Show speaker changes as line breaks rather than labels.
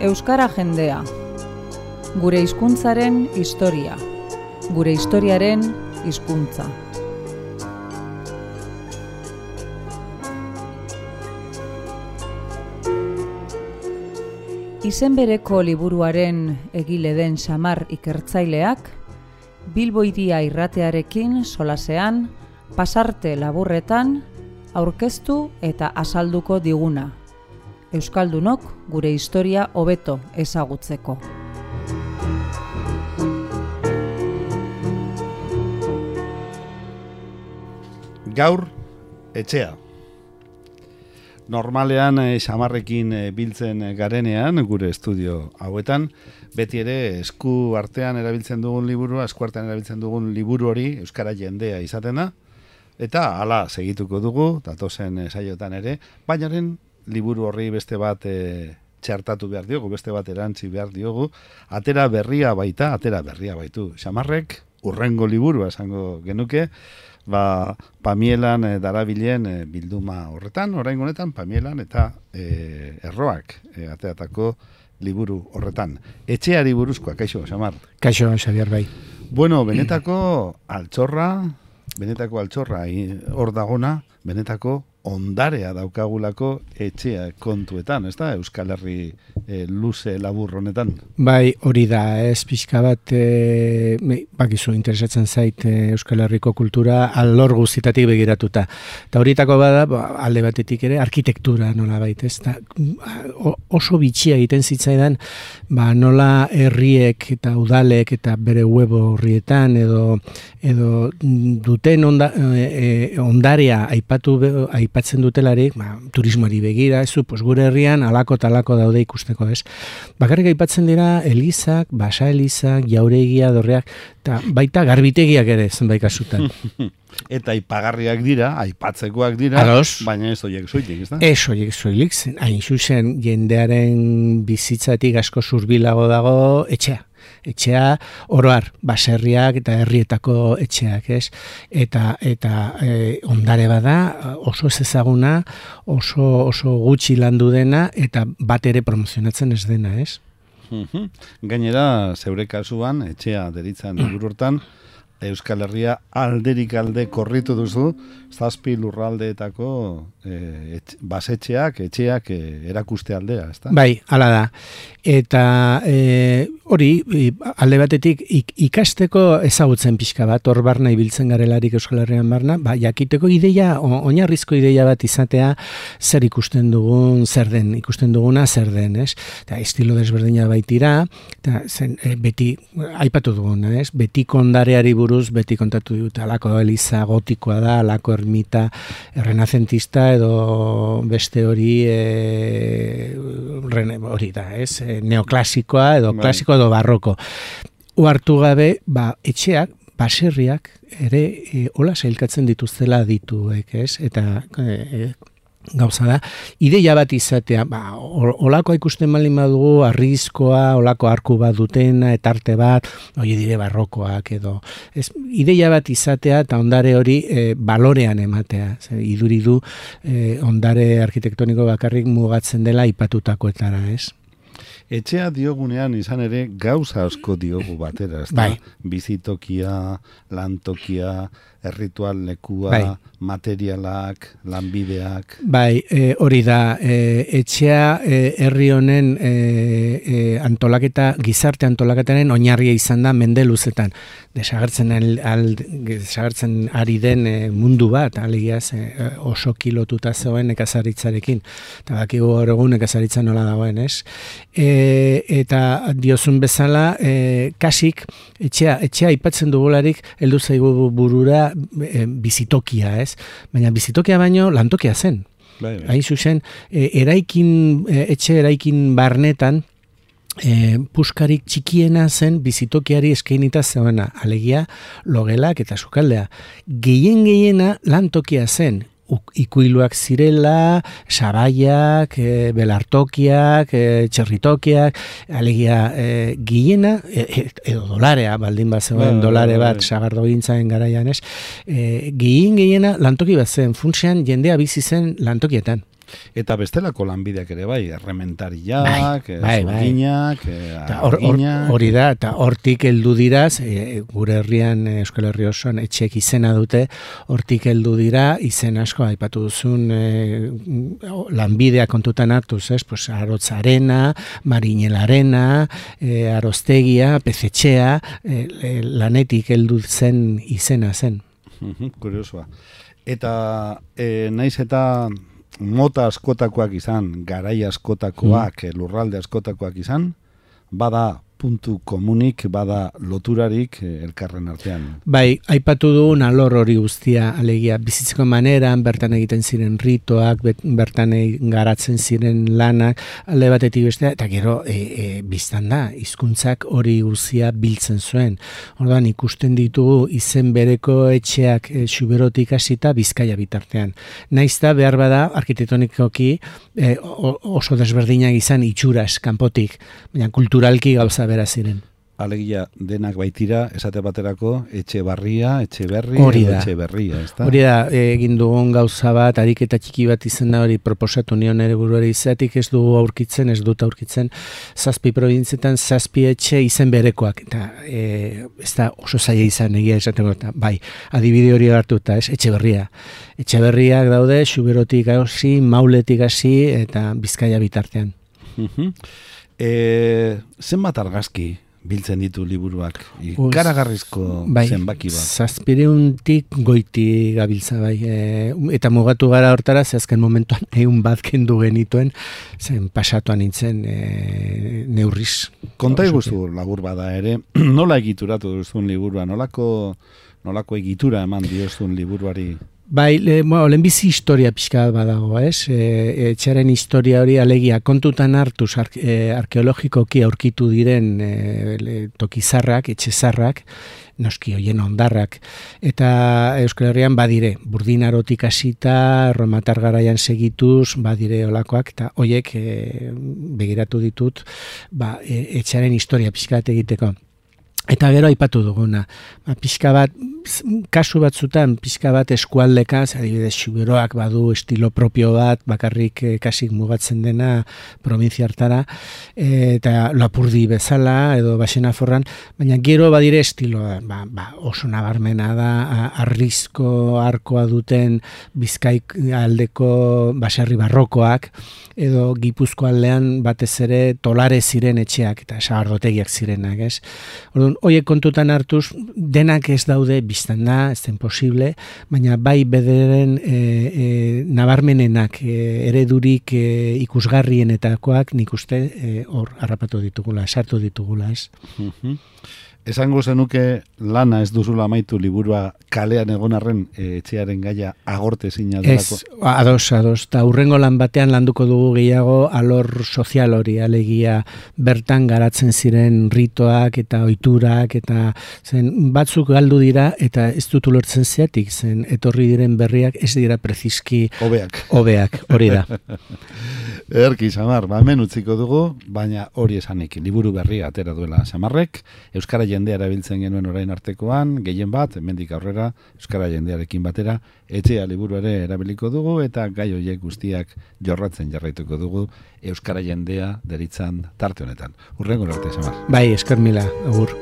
Euskara jendea. Gure hizkuntzaren historia. Gure historiaren hizkuntza. Izen bereko liburuaren egile den Xamar ikertzaileak, Bilbo Hiria irratearekin solasean, pasarte laburretan, aurkeztu eta azalduko diguna. Euskaldunok gure historia hobeto ezagutzeko.
Gaur, etxea. Normalean Xamarrekin biltzen garenean, gure estudio hauetan, beti ere esku artean erabiltzen dugun liburu hori Euskara jendea izaten da, eta hala segituko dugu, datozen saiotan ere, bainaren liburu horri beste bat txertatu behar diogu, beste bat erantzi behar diogu, atera berria baitu. Xamarrek urrengo liburua esango genuke, Pamielan darabilen bilduma horretan, oraingo honetan Pamielan eta erroak ateratako liburu horretan. Etxeari buruzkoa, kaixo, Xamar?
Kaixo, Xabier, bai.
Bueno, benetako altxorra, hor dagona, benetako ondarea daukagulako etxea kontuetan, ez da, Euskal Herri luze labur honetan? Bai,
hori da, ez pixka bat, bakizu interesatzen zait Euskal Herriko kultura alor guztitatik begiratuta. Eta horietako bada, alde batetik ere, arkitektura nola baita, ez da, oso bitxia egiten zitzaidan, nola herriek eta udalek eta bere web horrietan edo duten ondarea aipatzen dutelarik, turismoari begira, gure herrian alako talako daude ikusteko, ez? Bakarrik aipatzen dira elizak, basa elizak, jauregia, dorreak, eta baita garbitegiak ere zenbait kasutan.
Eta aipagarriak dira, aipatzekoak dira, baina ez horiek soilik, ez da? Ez
horiek soilik, hain zuzen jendearen bizitzatik asko zurbilago dago etxea. Etxea oroar, baserriak eta herrietako etxeak, ez? Eta ondare bada, oso ez ezaguna, oso gutxi landu dena, eta bat ere promozionatzen ez dena, ez?
Gainera, zeure kasuan, etxea deritzen liburu hortan, Euskal Herria alderik alde korritu duzu, 7 lurraldeetako basetxeak, etxeak erakuste aldea, ezta?
Bai, hala da. Eta hori, alde batetik ikasteko ezagutzen pixka bat, hor barna ibiltzen garelarik Euskal Herrian barna, jakiteko ideia, oinarrizko ideia bat izatea, zer ikusten dugun, ikusten duguna zer den, ez? Eta estilo desberdina baitira, eta beti, aipatu duguna, ez? Betiko ondareari buruz, beti kontatu dut, alako eliza gotikoa da, alako ermita renazentista edo beste hori hori da, ez? Neoklasikoa edo klasiko edo barroko. Uartu gabe, etxeak, baserriak ere hola sailkatzen dituztela dituek, ez? Eta gauza da, ideia bat izatea, olakoa ikusten baldin badugu, arrizkoa, olako arku bat dutena, etarte bat, hori dire barrokoak edo. Ideia bat izatea eta ondare hori balorean ematea. Iduridu ondare arkitektoniko bakarrik mugatzen dela ipatutakoetara, ez?
Etxea diogunean izan ere gauza asko diogu batera, ez da? Bizitokia, lantokia, erritual lekua, materialak, lanbideak.
Bai, hori da, etxea herri honen antolaketa, gizarte antolaketaren oinarria izan da mende luzetan. Desagertzen ari den mundu bat, alegiaz oso kilotuta zegoen nekazaritzarekin. Eta bakigu hor egun nekazaritza nola dagoen, ez? Eta diozun bezala, kasik, etxea aipatzen dugularik, heldu zaigu burura bizitokia, ez? Baina bizitokia baino lantokia zen. Hain zuzen, etxe eraikin barnetan, puskarik txikiena zen bizitokiari eskainita zegoena, alegia logelak eta sukaldea. Gehiena lantokia zen, ikuiluak zirela, sabaiak, belartokiak, txerritokiak, alegia gehiena, edo dolarea, baldin bat zegoen dolare bat sagardo gintzaren garaian, ez? Gehiena lantoki bat zen, funtsean jendea bizi zen lantokietan.
Eta bestelako lanbideak ere bai, errementariak, zurginak, arginak.
Hori da, eta hortik heldu diraz, gure herrian, Euskal Herri osoan, etxeek izena dute, hortik heldu dira, izen asko, aipatu duzun lanbidea kontutan hartuz, pues, Arotzarena, Marinelarena, Aroztegia, Pezetxea, lanetik heldu zen izena zen.
Kuriosoa. Eta naiz eta mota askotakoak izan, garai askotakoak, lurralde askotakoak izan, bada puntu komunik, bada loturarik elkarren artean.
Bai, aipatu dugun alor hori guztia, alegia, bizitzeko maneran, bertan egiten ziren ritoak, bertan garatzen ziren lanak, alde batetik bestea, eta gero biztan da, hizkuntzak hori guztia biltzen zuen. Orduan, ikusten ditugu izen bereko etxeak Xuberotik hasita Bizkaia bitartean. Naizta behar bada, arkitektonikoki oso desberdinak izan itxuras, kanpotik, baina kulturalki gauza bera ziren.
Alegia denak baitira, esate baterako, etxe barria, etxe berri, etxe berria, ezta?
Hori da, egin dugun gauza bat, ariketa txiki bat izen da hori proposatu nion ere buruari izatik ez dut aurkitzen, 7 probintzietan 7 etxe izen berekoak, eta ez da oso zaila izan egia esateko, eta bai, adibide hori hartuta, etxe berria. Etxe berriak daude, Xuberotik hasi, Mauletik hasi, eta Bizkaia bitartean.
Zenbat argazki biltzen ditu liburuak? Ikaragarrizko zenbaki bat.
700tik goiti gabiltza bai. Eta mugatu gara hortara, ze azken momentuan 100 bat kendu genituen, zen pasatuan nintzen neurriz.
Konta iguzu labur bada ere, nola egituratu duzun liburua? Nolako egitura eman diozun liburuari?
Bai, lehenbizi historia pixka badago, etxaren historia hori alegia kontutan hartuz arkeologikoki aurkitu diren tokizarrak, etxezarrak, noski hoien ondarrak, eta Euskal Herrian badire, Burdinarotik hasita, Romatar garaian segituz, badire olakoak, eta hoiek begiratu ditut, etxaren historia pixka bat egiteko. Eta gero aipatu duguna, pixka bat, kasu batzutan, pixka bat eskualdeka, adibidez Xuberoak badu estilo propio bat, bakarrik kasik mugatzen dena provintzia hartara, eta Lapurdi bezala, edo Baxenaforran, baina gero badire estiloa, oso nabarmena da, arrizko arkoa duten Bizkaik aldeko baserri barrokoak, edo Gipuzko aldean batez ere tolare ziren etxeak, eta sagardotegiak zirenak, ez? Orduan, horiek kontutan hartuz, denak ez daude biztan da, ez den posible, baina bai bederen nabarmenenak eredurik ikusgarrienetakoak nik uste hor harrapatu ditugula, sartu ditugula, ez?
Esango zenuke lana ez duzula amaitu liburua kalean egon arren etxearen gaia agorte zina delako?
Ez, ados, eta hurrengo lan batean landuko dugu gehiago alor sozial hori, alegia bertan garatzen ziren ritoak eta ohiturak eta zen batzuk galdu dira eta ez dut ulertzen zeatik, zen etorri diren berriak ez dira preziski hobeak, hori da.
Erki, Samar, hemen utziko dugu, baina hori esanik, liburu berria atera duela Samarrek, euskara jendea erabiltzen genuen orain artekoan, gehien bat, hemendik aurrera, euskara jendearekin batera, etxea liburu ere erabiliko dugu, eta gai horiek guztiak jorratzen jarraituko dugu, euskara jendea deritzan tarte honetan. Hurrengo arte, Samar.
Bai, esker mila, agur.